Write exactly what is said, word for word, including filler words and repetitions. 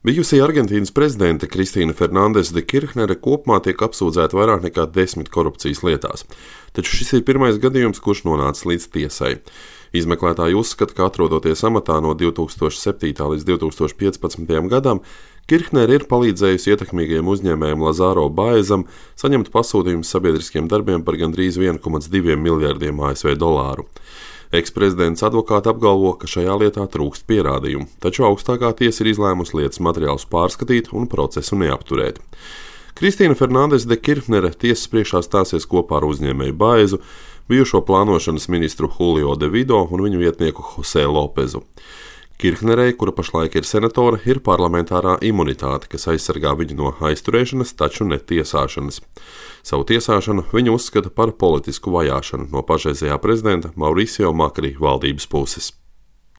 Bijusī Argentīnas prezidente Kristīna Fernandese de Kirchnere kopumā tiek apsūdzēta vairāk nekā desmit korupcijas lietās, taču šis ir pirmais gadījums, kurš nonācis līdz tiesai. Izmeklētāji uzskata, ka atrodoties amatā no divi tūkstoši septītā līdz divi tūkstoši piecpadsmitajam gadam, Kirchnere ir palīdzējusi ietekmīgajam uzņēmējam Lazaro Baezam saņemt pasūtījumus sabiedriskiem darbiem par gandrīz viens komats divi miljardiem A S V dolāru. Eksprezidents advokāti apgalvo, ka šajā lietā trūkst pierādījumu, taču augstākā tiesa ir izlēmusi lietas materiālus pārskatīt un procesu neapturēt. Kristīna Fernandese de Kirchnere tiesas priekšā stāsies kopā ar uzņēmēju Baezu, bijušo plānošanas ministru Julio de Vido un viņu vietnieku Jose Lopezu. Kirchnerei, kura pašlaik ir senatore, ir parlamentārā imunitāte, kas aizsargā viņu no aizturēšanas, taču ne tiesāšanas. Savu tiesāšanu viņa uzskata par politisku vajāšanu no pašreizējā prezidenta Mauricio Macri valdības puses.